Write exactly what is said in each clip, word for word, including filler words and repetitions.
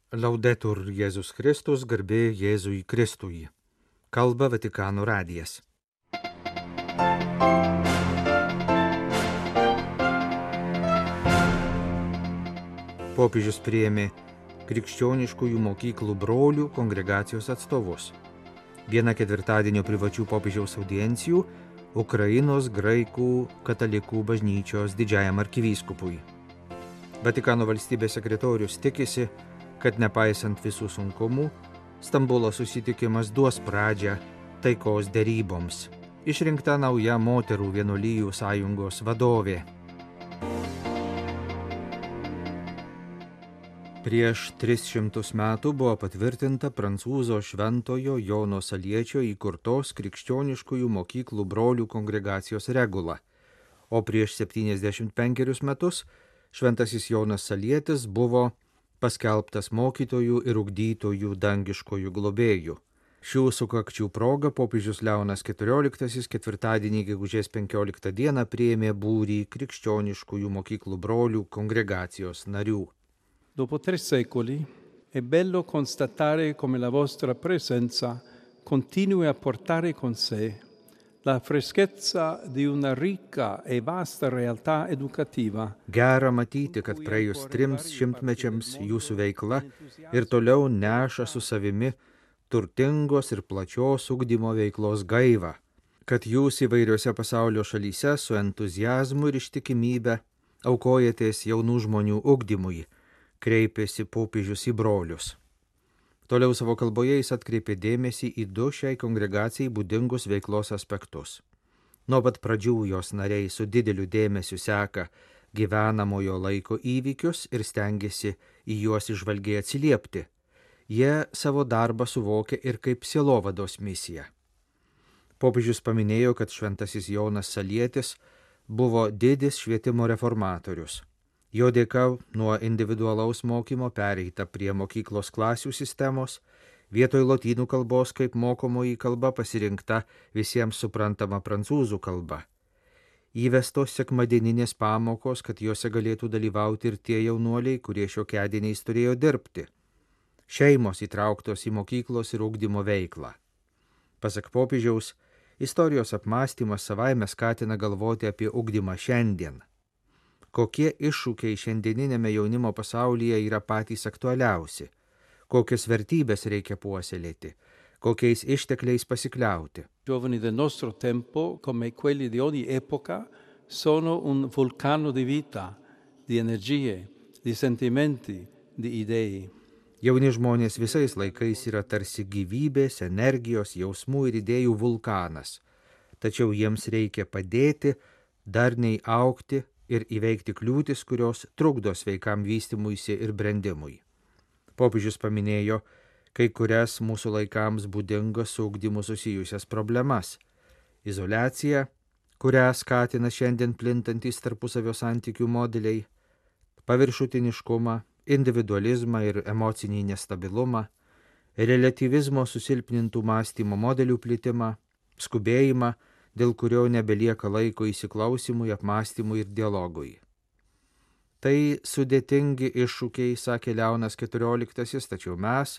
Laudetur Jėzus Kristus, garbė Jėzui Kristui. Kalba Vatikano radijas. Popiežius priėmė krikščioniškųjų mokyklų brolių kongregacijos atstovus. Viena ketvirtadienio privačių popiežiaus audiencijų Ukrainos graikų katalikų bažnyčios didžiajam arkivyskupui. Vatikano valstybės sekretorius tikisi, kad nepaisant visų sunkumų, Stambulo susitikimas duos pradžią taikos deryboms. Išrinkta nauja moterų vienuolijų sąjungos vadovė. Prieš tris šimtus metų buvo patvirtinta prancūzo šventojo Jono Saliečio įkurtos krikščioniškųjų mokyklų brolių kongregacijos regula, o prieš septyniasdešimt penkerius metus šventasis Jonas Salietis buvo paskelbtas mokytojų ir ugdytojų dangiškojų globėjų. Šių sukakčių proga popiežius Leonas keturioliktasis ketvirtadienį gegužės penkioliktą dieną priėmė būrį krikščioniškųjų mokyklų brolių kongregacijos narių. Dopo tre secoli è bello constatare come la vostra presenza continui a portare con sé la freschezza di una ricca e vasta realtà educativa. Gera matyti, kad praėjus trims šimtmečiams jūsų veikla ir toliau neša su savimi turtingos ir plačios ugdymo veiklos gaivą, kad jūs įvairiose pasaulio šalyse su entuziazmu ir ištikimybe aukojatės jaunų žmonių ugdymui, kreipėsi popiežius į brolius. Toliau savo kalboje jis atkreipė dėmesį į du šiai kongregacijai būdingus veiklos aspektus. Nuo pat pradžių jos nariai su dideliu dėmesiu seka gyvenamojo laiko įvykius ir stengiasi į juos įžvalgiai atsiliepti. Jie savo darbą suvokia ir kaip sielovados misiją. Popiežius paminėjo, kad šventasis Jonas Salietis buvo didis švietimo reformatorius. Jo dėka nuo individualaus mokymo pereita prie mokyklos klasių sistemos, vietoj lotynų kalbos kaip mokomoji kalba pasirinkta visiems suprantama prancūzų kalba. Įvestos sekmadieninės pamokos, kad juose galėtų dalyvauti ir tie jaunuoliai, kurie šiokiadieniais turėjo dirbti. Šeimos įtrauktos į mokyklos ir ugdymo veiklą. Pasak popiežiaus, istorijos apmąstymas savaime skatina galvoti apie ugdymą šiandien. Kokie iššūkiai šiandieninėme jaunimo pasaulyje yra patys aktualiausi, kokias vertybės reikia puoselėti, kokiais ištekliais pasikliauti. Giovani del nostro tempo, come quelli di ogni epoca, sono un vulcano di vita, di energie, di sentimenti, di idee. Jauni žmonės visais laikais yra tarsi gyvybės, energijos, jausmų ir idėjų vulkanas, tačiau jiems reikia padėti, darniai augti ir įveikti kliūtis, kurios trukdo sveikam vystymuisi ir brendimui. Popiežius paminėjo kai kurias mūsų laikams būdingas su ugdymu susijusias problemas. Izoliacija, kurią skatina šiandien plintantys tarpusavio santykių modeliai, paviršutiniškumą, individualizmą ir emocinį nestabilumą, relatyvizmo susilpnintų mąstymo modelių plitimą, skubėjimą, dėl kurio nebelieka laiko įsiklausimui, apmąstymui ir dialogui. Tai sudėtingi iššūkiai, sakė Leonas keturioliktasis, tačiau mes,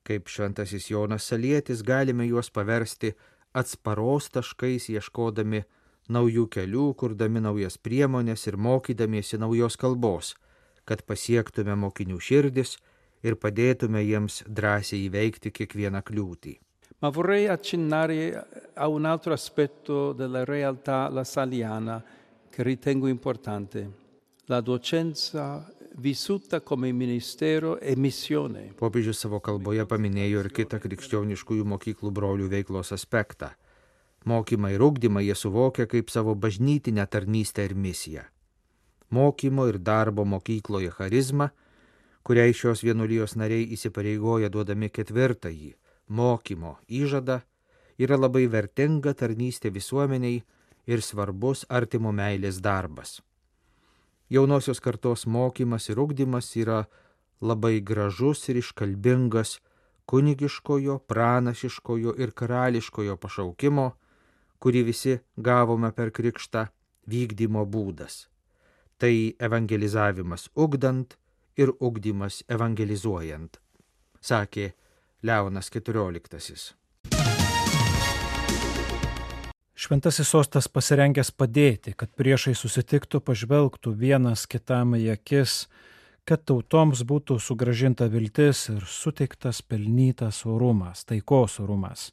kaip šventasis Jonas Salietis, galime juos paversti atsparos taškais, ieškodami naujų kelių, kurdami naujas priemonės ir mokydamiesi naujos kalbos, kad pasiektume mokinių širdis ir padėtume jiems drąsiai įveikti kiekvieną kliūtį. Ma vorrei accennare a un altro aspetto della realtà lasaliana che ritengo importante, la docenza vissuta come ministero e missione. Popiežius savo kalboje paminėjo ir kitą krikščioniškųjų mokyklų brolių veiklos aspektą. Mokymą ir ugdymą jie suvokia kaip savo bažnytinę tarnystę ir misiją. Mokymo ir darbo mokykloje charizma, kuriai šios vienuolijos nariai įsipareigoja duodami ketvirtąjį mokymo įžadą, yra labai vertinga tarnystė visuomeniai ir svarbus artimo meilės darbas. Jaunosios kartos mokymas ir ugdymas yra labai gražus ir iškalbingas kunigiškojo, pranašiškojo ir karališkojo pašaukimo, kurį visi gavome per krikštą, vykdymo būdas. Tai evangelizavimas ugdant ir ugdymas evangelizuojant, sakė Leonas keturioliktasis. Šventasis sostas pasirengęs padėti, kad priešai susitiktų, pažvelgtų vienas kitam į akis, kad tautoms būtų sugrąžinta viltis ir suteiktas pelnytas orumas, taikos orumas.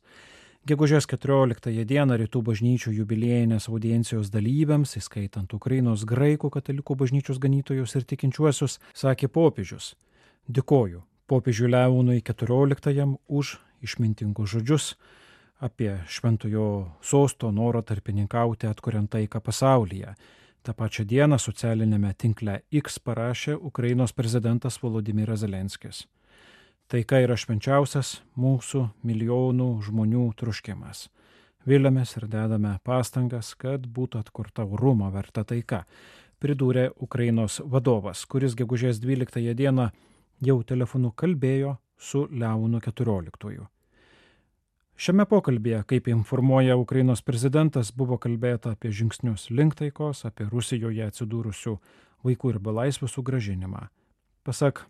Gegužės keturioliktąją dieną rytų bažnyčių jubiliejinės audiencijos dalyviams, įskaitant Ukrainos graikų katalikų bažnyčios ganytojus ir tikinčiuosius, sakė popiežius: dėkoju popiežiui Leonui keturioliktajam už išmintingus žodžius apie šventojo sosto norą tarpininkauti atkuriant taiką pasaulyje. Ta pačia diena socialinėme tinkle X parašė Ukrainos prezidentas Volodymyras Zelenskis: taika yra švenčiausias mūsų milijonų žmonių troškimas. Viliamės ir dedame pastangas, kad būtų atkurta orumo verta taika, pridūrė Ukrainos vadovas, kuris gegužės dvyliktąją dieną jau telefonu kalbėjo su Leonu keturioliktuoju. Šiame pokalbėje, kaip informuoja Ukrainos prezidentas, buvo kalbėta apie žingsnius link taikos, apie Rusijoje atsidūrusių vaikų ir belaisvių sugrąžinimą. Pasak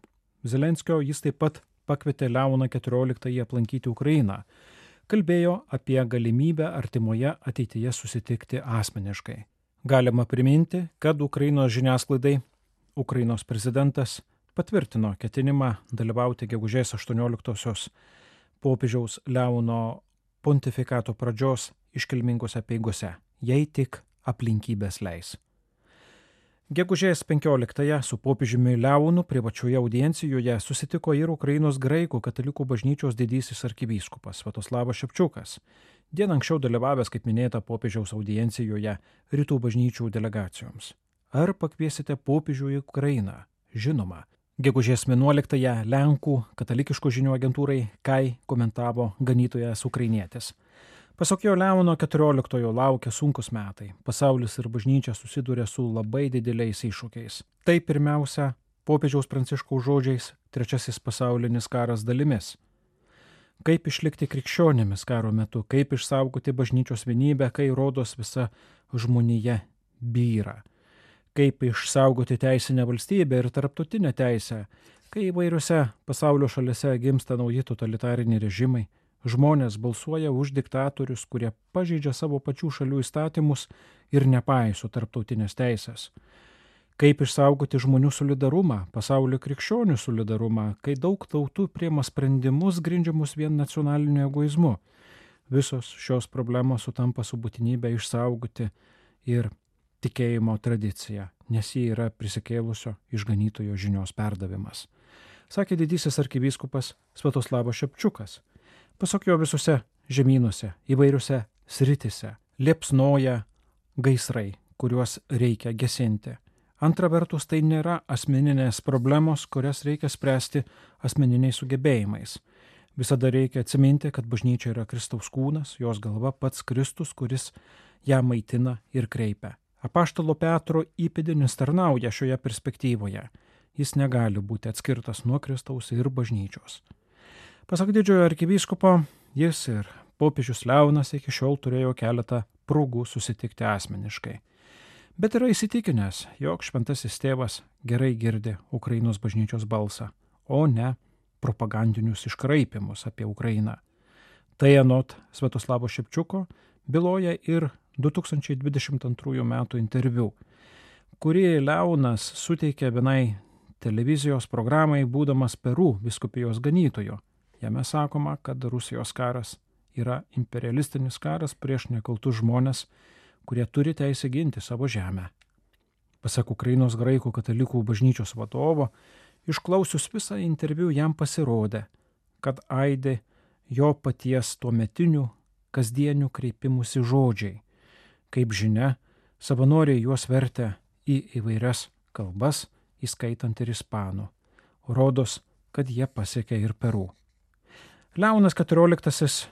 Zelenskio, jis taip pat pakvietė Leoną keturioliktąjį aplankyti Ukrainą. Kalbėjo apie galimybę artimoje ateityje susitikti asmeniškai. Galima priminti, kad Ukrainos žiniasklaidai Ukrainos prezidentas patvirtino ketinimą dalyvauti gegužės aštuonioliktosios popiežiaus Leono pontifikato pradžios iškilmingose apeigose, jei tik aplinkybės leis. Gegužės penkioliktąją su popiežiumi Leonu privačioje audiencijoje susitiko ir Ukrainos graikų katalikų bažnyčios didysis arkivyskupas Sviatoslavas Ševčiukas, dieną anksčiau dalyvavęs, kaip minėta, popiežiaus audiencijoje rytų bažnyčių delegacijoms. Ar pakviesite popiežių į Ukrainą? Žinoma. Gegužės vienuoliktąją Lenkų katalikiškų žinių agentūrai Kai komentavo ganytojas ukrainietis. Pasak jo, Leono keturioliktojo laukia sunkus metai. Pasaulis ir bažnyčia susiduria su labai dideliais iššūkiais. Tai pirmiausia, popiežiaus Pranciškaus žodžiais, trečiasis pasaulinis karas dalimis. Kaip išlikti krikščionimis karo metu, kaip išsaugoti bažnyčios vienybę, kai rodos visa žmonija byra. Kaip išsaugoti teisinę valstybę ir tarptautinę teisę, kai įvairiose pasaulio šalise gimsta nauji totalitariniai režimai, žmonės balsuoja už diktatorius, kurie pažeidžia savo pačių šalių įstatymus ir nepaiso tarptautinės teisės. Kaip išsaugoti žmonių solidarumą, pasaulio krikščionių solidarumą, kai daug tautų priima sprendimus grindžiamus vien nacionaliniu egoizmu. Visos šios problemos sutampa su būtinybė išsaugoti ir tikėjimo tradicija, nes ji yra prisikėlusio išganytojo žinios perdavimas, sakė didysis arkivyskupas Sviatoslavas Ševčiukas. Pasak jo, visose žemynuose, įvairiose sritise liepsnoja gaisrai, kuriuos reikia gesinti. Antra vertus, tai nėra asmeninės problemos, kurias reikia spręsti asmeniniais sugebėjimais. Visada reikia atsiminti, kad bažnyčia yra Kristaus kūnas, jos galva pats Kristus, kuris ją maitina ir kreipia. Apaštalo Petro įpėdinis tarnauja šioje perspektyvoje. Jis negali būti atskirtas nuo Kristaus ir bažnyčios. Pasak didžiojo arkivyskupo, jis ir popiežius Leonas iki šiol turėjo keletą progų susitikti asmeniškai. Bet yra įsitikinęs, jog šventasis tėvas gerai girdi Ukrainos bažnyčios balsą, o ne propagandinius iškraipimus apie Ukrainą. Tai anot Sviatoslavo Ševčiuko byloja ir du tūkstančiai dvidešimt antrųjų metų interviu, kurį Leonas suteikė vienai televizijos programai būdamas Peru vyskupijos ganytoju. Jame sakoma, kad Rusijos karas yra imperialistinis karas prieš nekaltus žmonės, kurie turi teisę ginti savo žemę. Pasak Ukrainos graikų katalikų bažnyčios vadovo, išklausius visą interviu jam pasirodė, kad aidi jo paties tuometinių kasdienių kreipimusi žodžiai. Kaip žinia, savanoriai juos vertė į įvairias kalbas, įskaitant ir ispanų. Rodos, kad jie pasiekė ir Peru. Leonas keturioliktasis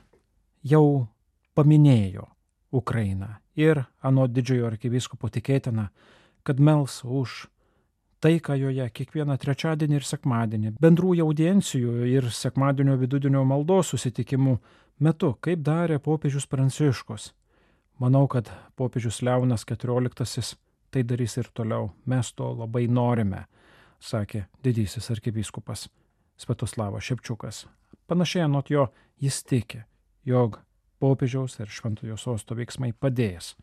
jau paminėjo Ukrainą ir anot didžiojo arkivyskupo tikėtina, kad mels už taiką joje kiekvieną trečiadienį ir sekmadienį, bendrų audiencijų ir sekmadienio vidudienio maldos susitikimų metu, kaip darė popiežius Pranciškus. Manau, kad popiežius Leonas keturioliktasis tai darys ir toliau. Mes to labai norime, sakė didysis arkivyskupas Sviatoslavas Ševčiukas. Panašiai anot jo jis tiki, jog popiežiaus ir Šventojo sosto veiksmai padės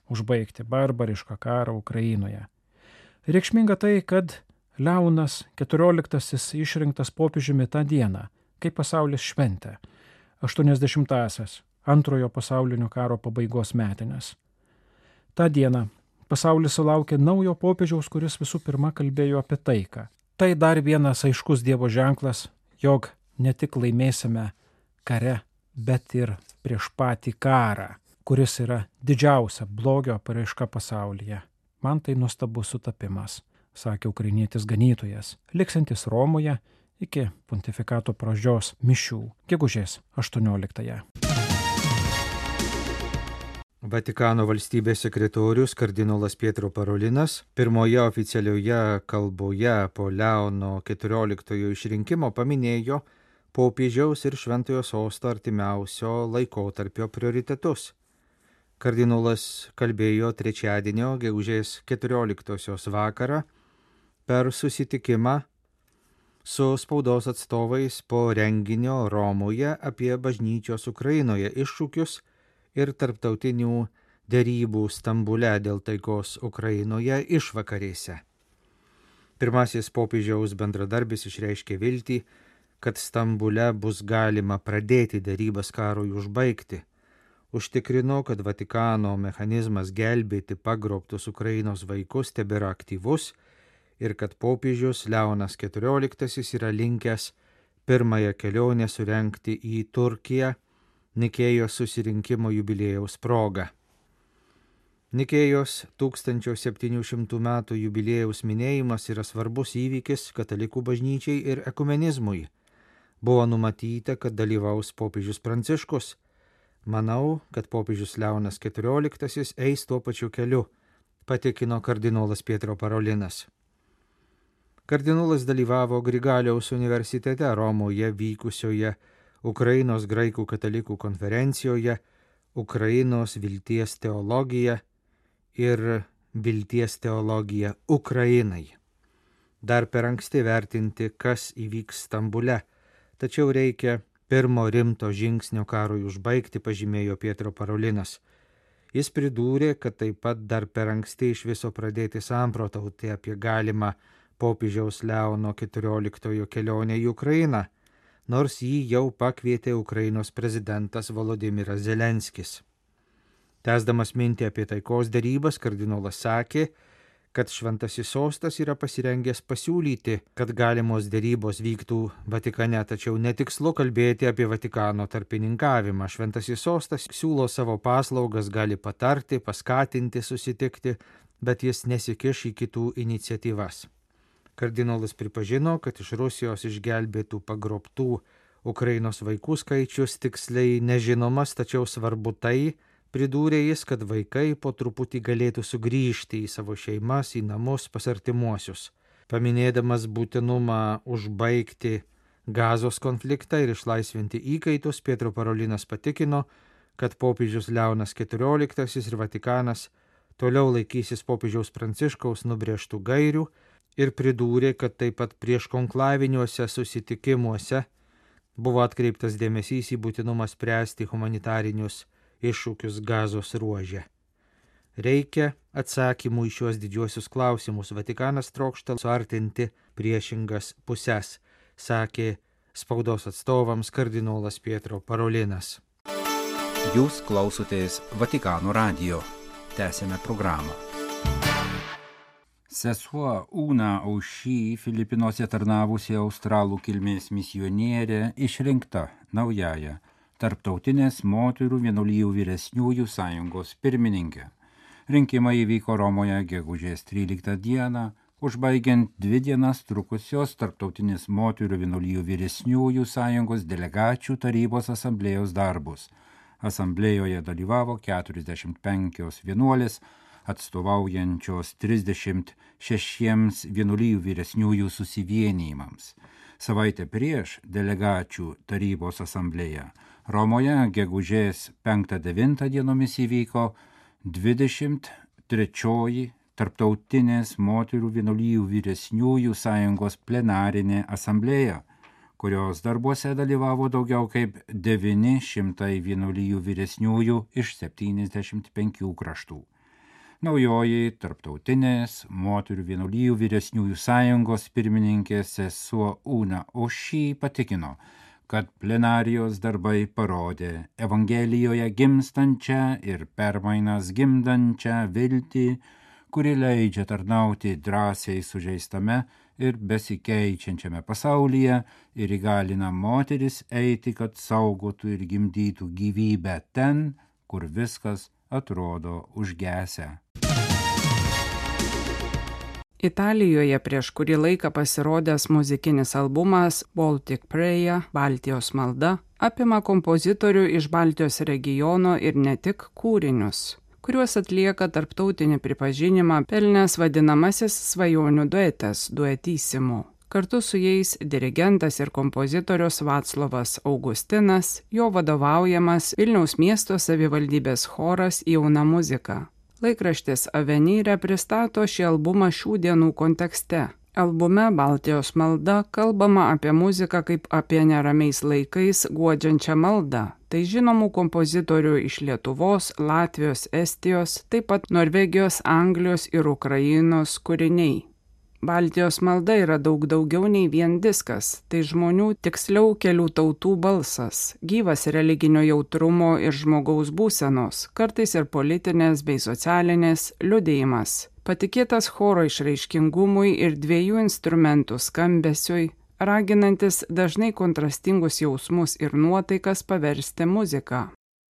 užbaigti barbarišką karą Ukrainoje. Reikšminga tai, kad Leonas keturioliktasis išrinktas popiežiumi tą dieną, kai pasaulis šventė aštuoniasdešimtąsias antrojo pasaulinio karo pabaigos metinės. Ta diena pasaulis sulaukė naujo popiežiaus, kuris visų pirma kalbėjo apie taiką. Tai dar vienas aiškus Dievo ženklas, jog ne tik laimėsime kare, bet ir prieš patį karą, kuris yra didžiausia blogio paraiška pasaulyje. Man tai nuostabus sutapimas, sakė ukrainietis ganytojas, liksantis Romoje iki pontifikato pradžios mišių, gegužės aštuonioliktąją. Vatikano valstybės sekretorius kardinolas Pietro Parolinas pirmoje oficialioje kalboje po Leono keturioliktojo išrinkimo paminėjo popiežiaus ir Šventojo sosto artimiausio laikotarpio prioritetus. Kardinolas kalbėjo trečiadienio gegužės keturioliktosios vakarą per susitikimą su spaudos atstovais po renginio Romoje apie bažnyčios Ukrainoje iššūkius ir tarptautinių derybų Stambule dėl taikos Ukrainoje išvakarėse. Pirmasis popiežiaus bendradarbis išreiškė viltį, kad Stambule bus galima pradėti derybas karui užbaigti. Užtikrino, kad Vatikano mechanizmas gelbėti pagrobtus Ukrainos vaikus tebėra aktyvus ir kad popiežius Leonas keturioliktasis yra linkęs pirmąją kelionę surengti į Turkiją Nikėjos susirinkimo jubiliejaus proga. Nikėjos tūkstančio septynių šimtų metų jubiliejaus minėjimas yra svarbus įvykis katalikų bažnyčiai ir ekumenizmui. Buvo numatyta, kad dalyvaus popiežius Pranciškus. Manau, kad popiežius Leonas keturioliktasis eis tuo pačiu keliu, patikino kardinolas Pietro Parolinas. Kardinolas dalyvavo Grigaliaus universitete Romoje vykusioje Ukrainos graikų katalikų konferencijoje Ukrainos vilties teologija ir vilties teologija Ukrainai. Dar per anksti vertinti, kas įvyks Stambule, tačiau reikia pirmo rimto žingsnio karui užbaigti, pažymėjo Pietro Parolinas. Jis pridūrė, kad taip pat dar per anksti iš viso pradėti samprotauti apie galimą popiežiaus Leono keturioliktojo kelionę į Ukrainą, nors jį jau pakvietė Ukrainos prezidentas Volodymyras Zelenskis. Tęsdamas mintį apie taikos derybas, kardinolas sakė, kad Šventasis sostas yra pasirengęs pasiūlyti, kad galimos derybos vyktų Vatikane, tačiau netikslu kalbėti apie Vatikano tarpininkavimą. Šventasis sostas siūlo savo paslaugas, gali patarti, paskatinti, susitikti, bet jis nesikiš į kitų iniciatyvas. Kardinolas pripažino, kad iš Rusijos išgelbėtų pagrobtų Ukrainos vaikų skaičius tiksliai nežinomas, tačiau svarbu tai, pridūrė jis, kad vaikai po truputį galėtų sugrįžti į savo šeimas, į namus, pas artimuosius. Paminėdamas būtinumą užbaigti Gazos konfliktą ir išlaisvinti įkaitus, Pietro Parolinas patikino, kad popiežius Leonas keturioliktasis ir Vatikanas toliau laikysis popiežiaus Pranciškaus nubrėžtų gairių ir pridūrė, kad taip pat prieš konklaviniuose susitikimuose buvo atkreiptas dėmesys į būtinumą spręsti humanitarinius iššūkius Gazos ruože. Reikia atsakymų į šiuos didžiuosius klausimus. Vatikanas trokšta suartinti priešingas puses, sakė spaudos atstovams kardinolas Pietro Parolinas. Jūs klausotės Vatikano radijo. Tęsėme programą. Sesuo Una Aušy, Filipinuose tarnavusi australų kilmės misionierė, išrinkta naująja Tarptautinės moterų vienuolijų vyresniųjų sąjungos pirmininkė. Rinkimai įvyko Romoje gegužės tryliktą dieną, užbaigiant dvi dienas trukusios Tarptautinės moterų vienuolijų vyresniųjų sąjungos delegačių tarybos asamblėjos darbus. Asamblėjoje dalyvavo keturiasdešimt penkios vienuolės, atstovaujančios trisdešimt šešiems vienuolijų vyresniųjų susivienijimams. Savaitę prieš delegačių tarybos asamblėją Romoje gegužės penktą devintą dienomis įvyko dvidešimt trečioji Tarptautinės moterų vienuolijų vyresniųjų sąjungos plenarinė asamblėja, kurios darbuose dalyvavo daugiau kaip devyni šimtai vienuolijų vyresniųjų iš septyniasdešimt penkių kraštų. Naujoji Tarptautinės moterų vienuolijų vyresniųjų sąjungos pirmininkė sesuo Una Oši patikino, kad plenarijos darbai parodė Evangelijoje gimstančią ir permainas gimdančią viltį, kuri leidžia tarnauti drąsiai sužeistame ir besikeičiančiame pasaulyje ir įgalina moteris eiti, kad saugotų ir gimdytų gyvybę ten, kur viskas atrodo užgesę. Italijoje prieš kurį laiką pasirodęs muzikinis albumas Baltic Prayer – Baltijos malda apima kompozitorių iš Baltijos regiono ir ne tik kūrinius, kuriuos atlieka tarptautinį pripažinimą pelnęs vadinamasis svajonių duetas Duetissimo. Kartu su jais dirigentas ir kompozitorius Vaclovas Augustinas, jo vadovaujamas Vilniaus miesto savivaldybės choras Jauna muzika. Laikraštis Avenire pristato šį albumą šių dienų kontekste. Albume Baltijos malda kalbama apie muziką kaip apie neramiais laikais guodžiančią maldą. Tai žinomų kompozitorių iš Lietuvos, Latvijos, Estijos, taip pat Norvegijos, Anglijos ir Ukrainos kūriniai. Baltijos malda yra daug daugiau nei vien diskas, tai žmonių, tiksliau kelių tautų balsas, gyvas religinio jautrumo ir žmogaus būsenos, kartais ir politinės bei socialinės liudijimas, patikėtas choro išraiškingumui ir dviejų instrumentų skambesiui, raginantis dažnai kontrastingus jausmus ir nuotaikas paversti muziką.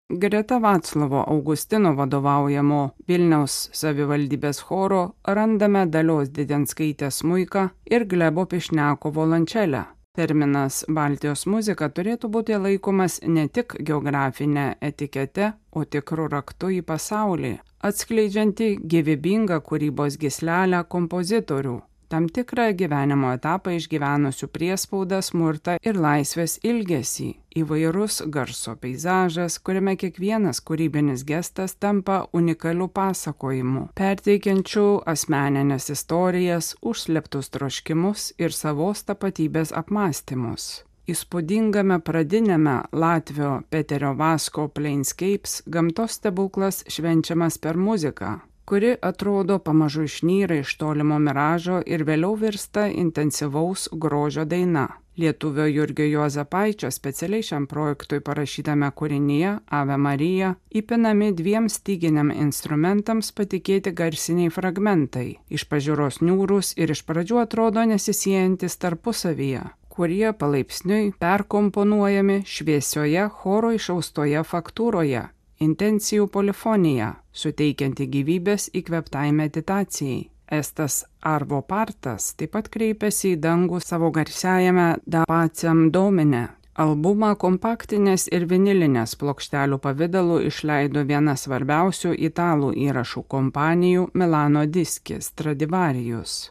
Greta Vaclovo Augustino vadovaujamo Vilniaus savivaldybės choro randame Dalios Didenskaitės smuiką ir Glebo Pišniako violončelę. Terminas Baltijos muzika turėtų būti laikomas ne tik geografinė etikete, o tikru raktu į pasaulį, atskleidžianti gyvybingą kūrybos gyslelę kompozitorių, tam tikrą gyvenimo etapą išgyvenusių priespaudą, smurtą ir laisvės ilgesį, įvairus garso peizažas, kuriame kiekvienas kūrybinis gestas tampa unikaliu pasakojimu, perteikiančiu asmeninės istorijas, užslėptus troškimus ir savos tapatybės apmąstymus. Įspūdingame pradiniame Latvio Peterio Vasko Planescapes gamtos stebuklas švenčiamas per muziką, kuri atrodo pamažu išnyra iš tolimo miražo ir vėliau virsta intensyvaus grožio daina. Lietuvio Jurgio Juozapaičio specialiai šiam projektui parašytame kūrinyje Ave Marija įpinami dviem styginiam instrumentams patikėti garsiniai fragmentai, iš pažiūros niūrūs ir iš pradžių atrodo nesisiejantis tarpusavyje, kurie palaipsniui perkomponuojami šviesioje choro išaustoje faktūroje, intencijų polifonija, suteikianti gyvybės įkvėptai meditacijai. Estas Arvo Partas taip pat kreipėsi į dangų savo garsiajame Da Pacem Domine. Albumą kompaktinės ir vinilinės plokštelių pavidalu išleido viena svarbiausių italų įrašų kompanijų Milano Diski Stradivarius.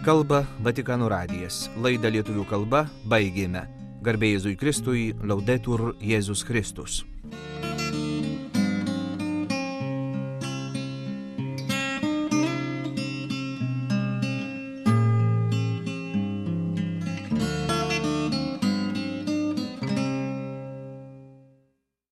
Kalba Vatikano radijas. Laidą lietuvių kalba baigėme. Garbė Jėzui Kristui, Laudetur Jėzus Kristus.